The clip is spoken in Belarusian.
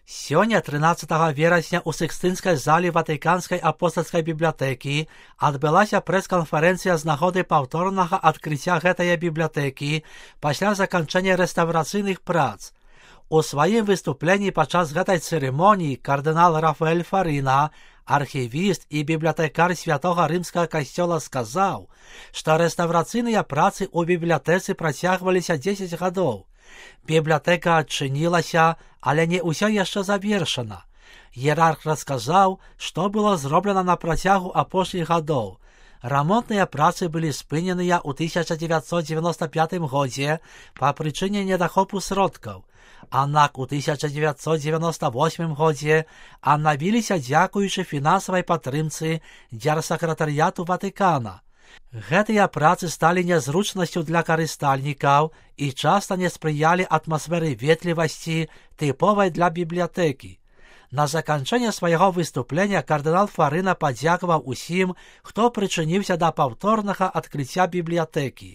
Сёння, 13 верасня, у Сікстынскай зале Ватыканскай апостальскай бібліятэкі адбылася прэс-канферэнцыя з нагоды паўторнага адкрыцця гэтай бібліятэкі пасля заканчэння рэстаўрацыйных прац. У сваім выступленні падчас гэтай цырымоніі кардынал Рафаэль Фарына, архівіст і бібліятэкар Святога Рымскага касцёла, сказаў, што рэстаўрацыйныя працы ў бібліятэцы працягваліся 10 гадоў. Бібліятэка адчынілася, але не ўсё яшчэ завершана. Іерарх расказаў, што было зроблена на працягу апошніх гадоў. Рамонтныя працы былі спыненыя ў 1995 годзе па прычыне недахопу сродкаў. Аднак у 1998 годзе аднавіліся дзякуючы фінансавай падтрымцы дзяржсакратарыяту Ватыкана. Гэтыя працы сталі нязручнасцю для карыстальнікаў і часта не спрыялі атмасферы ветлівасці, тыповай для бібліятэкі. На заканчэнне свайго выступлення кардынал Фарына падзякаваў усім, хто прычыніўся да паўторнага адкрыцця бібліятэкі.